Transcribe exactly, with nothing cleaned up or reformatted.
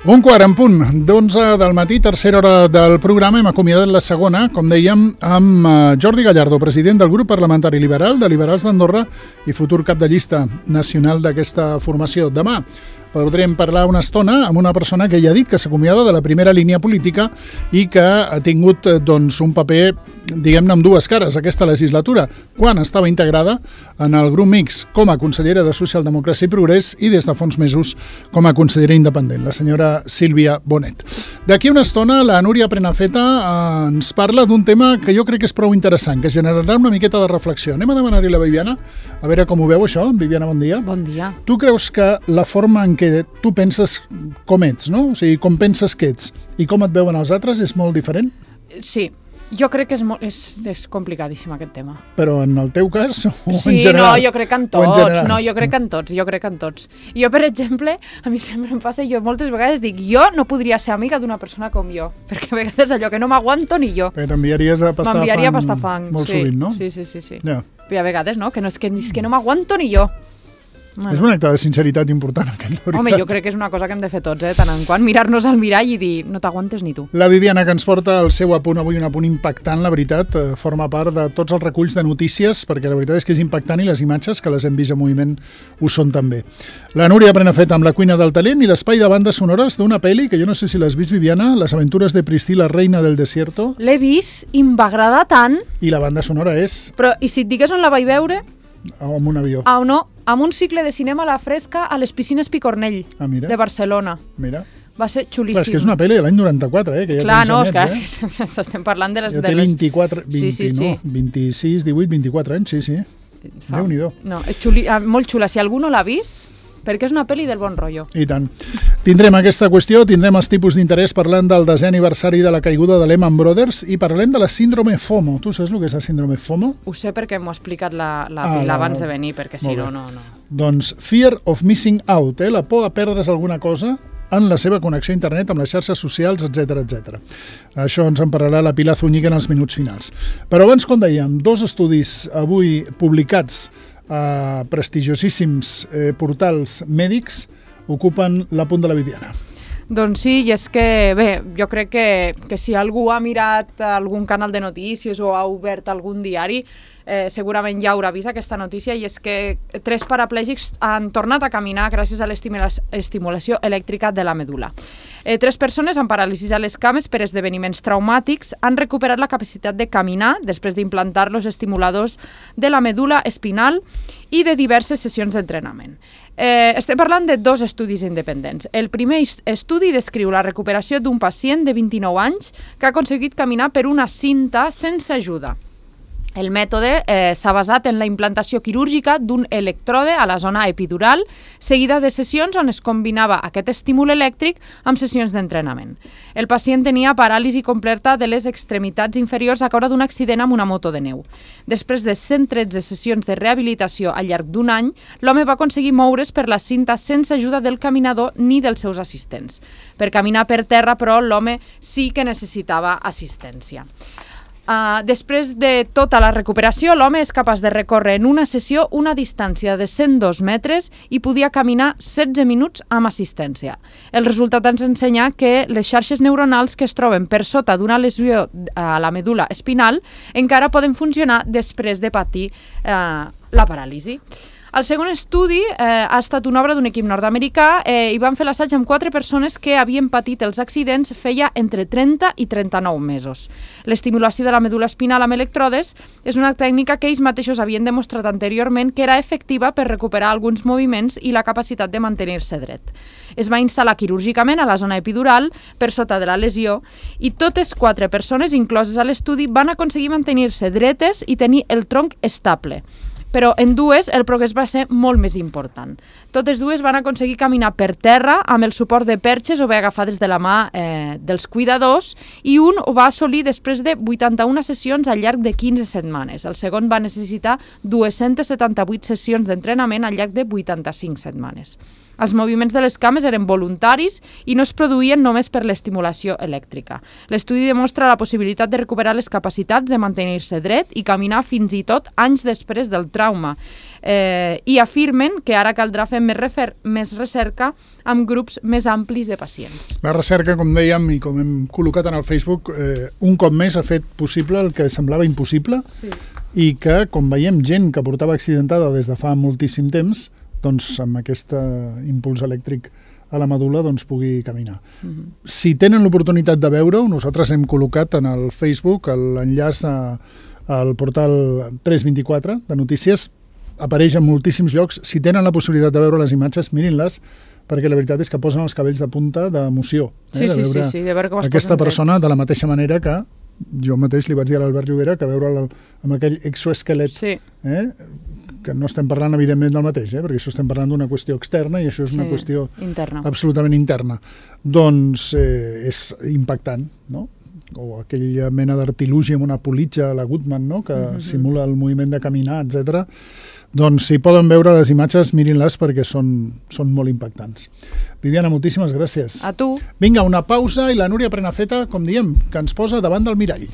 Un quart en punt, d'onze del matí, tercera hora del programa. Hem acomiadat la segona, com dèiem, amb Jordi Gallardo, president del grup parlamentari liberal de Liberals d'Andorra i futur cap de llista nacional d'aquesta formació. Demà podrem parlar una estona amb una persona que ja ha dit que s'acomiada de la primera línia política i que ha tingut doncs, un paper, diguem-ne, amb dues cares aquesta legislatura, quan estava integrada en el grup mixt com a consellera de Socialdemocràcia i Progrés i des de fa uns mesos com a consellera independent, la senyora Sílvia Bonet. D'aquí una estona, la Núria Prenafeta ens parla d'un tema que jo crec que és prou interessant, que generarà una miqueta de reflexió. Anem a demanar-hi a la Viviana, a veure com ho veu això. Viviana, bon dia. Bon dia. Tu creus que la forma en què tu penses com ets, no? O sigui, com penses que ets i com et veuen els altres és molt diferent? Sí, jo crec que és, molt, és, és complicadíssim aquest tema. Però en el teu cas o sí, en general? Sí, no, jo crec que en tots, en no, jo crec que en tots, jo crec que en tots. Jo, per exemple, a mi sempre em passa, jo moltes vegades dic, jo no podria ser amiga d'una persona com jo, perquè a vegades allò que no m'aguanto ni jo. Perquè t'enviaries a pastar M'enviaria fang, a pastar fang molt sí, sovint, no? Sí, sí, sí. sí. Ja. I a vegades, no? Que no és que, és que no m'aguanto ni jo. Bueno. És un acte de sinceritat important, aquest, la veritat. Home, jo crec que és una cosa que hem de fer tots, eh? Tant en quant mirar-nos al mirall i dir, no t'aguantes ni tu. La Viviana, que ens porta el seu apunt avui, un apunt impactant, la veritat, eh, forma part de tots els reculls de notícies, perquè la veritat és que és impactant i les imatges, que les hem vist en moviment, ho són també. La Núria Prenafeta amb La cuina del talent i l'espai de bandes sonores d'una pel·li que jo no sé si l'has vist, Viviana, Les aventures de Priscila, reina del desierto. L'he vist i em va agradar tant. I la banda sonora és... Però, i si et digués on la vaig veure? Amb un avió. Ah, no, amb un cicle de cinema a la fresca a les piscines Picornell, ah, mira. de Barcelona. Mira. Va ser xulíssim. Clar, és que és una pel·li de l'any noranta-quatre, eh? Que ja clar, no, anyets, és que eh? estem parlant de les... Ja té vint-i-quatre, vint, sí, sí, sí. no? vint-i-sis, divuit, vint-i-quatre anys, sí, sí. Fa... Déu-n'hi-do. No, és xuli... molt xula. Si algú no l'ha vist, perquè és una pel·li del bon rotllo. I tant. Tindrem aquesta qüestió, tindrem els tipus d'interès parlant del desè aniversari de la caiguda de Lehman Brothers i parlem de la síndrome FOMO. Tu saps el que és la síndrome FOMO? Ho sé perquè m'ho ha explicat la, la ah, Pila la... abans de venir, perquè si no, no, no. Doncs Fear of Missing Out, eh? La por a perdre's alguna cosa en la seva connexió a internet, amb les xarxes socials, etcètera, etcètera. Això ens en parlarà la Pilar Zúñiga en els minuts finals. Però abans, com dèiem, dos estudis avui publicats a prestigiosíssims eh, portals mèdics ocupen l'apunt de la Viviana. Doncs sí, i és que, bé, jo crec que, que si algú ha mirat algun canal de notícies o ha obert algun diari, eh, segurament ja haurà vist aquesta notícia, i és que tres paraplègics han tornat a caminar gràcies a l'estimulació elèctrica de la medul·la. Eh, tres persones amb paràlisis a les cames per esdeveniments traumàtics han recuperat la capacitat de caminar després d'implantar los estimuladors de la medul·la espinal i de diverses sessions d'entrenament. Eh, estem parlant de dos estudis independents. El primer estudi descriu la recuperació d'un pacient de vint-i-nou anys que ha aconseguit caminar per una cinta sense ajuda. El mètode eh, s'ha basat en la implantació quirúrgica d'un electrode a la zona epidural, seguida de sessions on es combinava aquest estímul elèctric amb sessions d'entrenament. El pacient tenia paràlisi completa de les extremitats inferiors a causa d'un accident amb una moto de neu. Després de cent tretze sessions de rehabilitació al llarg d'un any, l'home va aconseguir moure's per la cinta sense ajuda del caminador ni dels seus assistents. Per caminar per terra, però, l'home sí que necessitava assistència. Uh, després de tota la recuperació, l'home és capaç de recórrer en una sessió una distància de cent dos metres i podia caminar setze minuts amb assistència. El resultat ens ensenya que les xarxes neuronals que es troben per sota d'una lesió a la medul·la espinal encara poden funcionar després de patir uh, la paràlisi. El segon estudi eh, ha estat una obra d'un equip nord-americà eh, i van fer l'assaig amb quatre persones que havien patit els accidents feia entre trenta i trenta-nou mesos. L'estimulació de la medul·la espinal amb electrodes és una tècnica que ells mateixos havien demostrat anteriorment que era efectiva per recuperar alguns moviments i la capacitat de mantenir-se dret. Es va instal·lar quirúrgicament a la zona epidural per sota de la lesió i totes quatre persones incloses a l'estudi van aconseguir mantenir-se dretes i tenir el tronc estable. Però en dues el progrés va ser molt més important. Totes dues van aconseguir caminar per terra amb el suport de perxes o bé agafades de la mà eh, dels cuidadors, i un ho va assolir després de vuitanta-una sessions al llarg de quinze setmanes. El segon va necessitar dues-centes setanta-vuit sessions d'entrenament al llarg de vuitanta-cinc setmanes. Els moviments de les cames eren voluntaris i no es produïen només per l'estimulació elèctrica. L'estudi demostra la possibilitat de recuperar les capacitats de mantenir-se dret i caminar fins i tot anys després del trauma trauma. Eh, I afirmen que ara caldrà fer més, refer més recerca amb grups més amplis de pacients. La recerca, com dèiem i com hem col·locat en el Facebook, eh, un cop més ha fet possible el que semblava impossible, sí. I que, com veiem, gent que portava accidentada des de fa moltíssim temps, doncs amb aquest impuls elèctric a la medul·la doncs, pugui caminar. Mm-hmm. Si tenen l'oportunitat de veure-ho, nosaltres hem col·locat en el Facebook l'enllaç al portal tres vint-i-quatre de notícies, apareix en moltíssims llocs. Si tenen la possibilitat de veure les imatges, mirin-les, perquè la veritat és que posen els cabells de punta d'emoció. Eh? Sí, de veure sí, sí, de veure com es aquesta persona de la mateixa manera que jo mateix li vaig dir a l'Albert Llobera que veure'l amb aquell exoesquelet, sí. eh? que no estem parlant evidentment del mateix, eh? perquè això estem parlant d'una qüestió externa i això és una sí, qüestió interna. absolutament interna. Doncs eh, és impactant, no? O aquella mena d'artilugi amb una politja a la Goodman, no? que mm-hmm. simula el moviment de caminar, etcètera. Doncs si poden veure les imatges, mirin-les perquè són, són molt impactants. Viviana, moltíssimes gràcies. A tu. Vinga, una pausa i la Núria Prenafeta, com diem, que ens posa davant del mirall.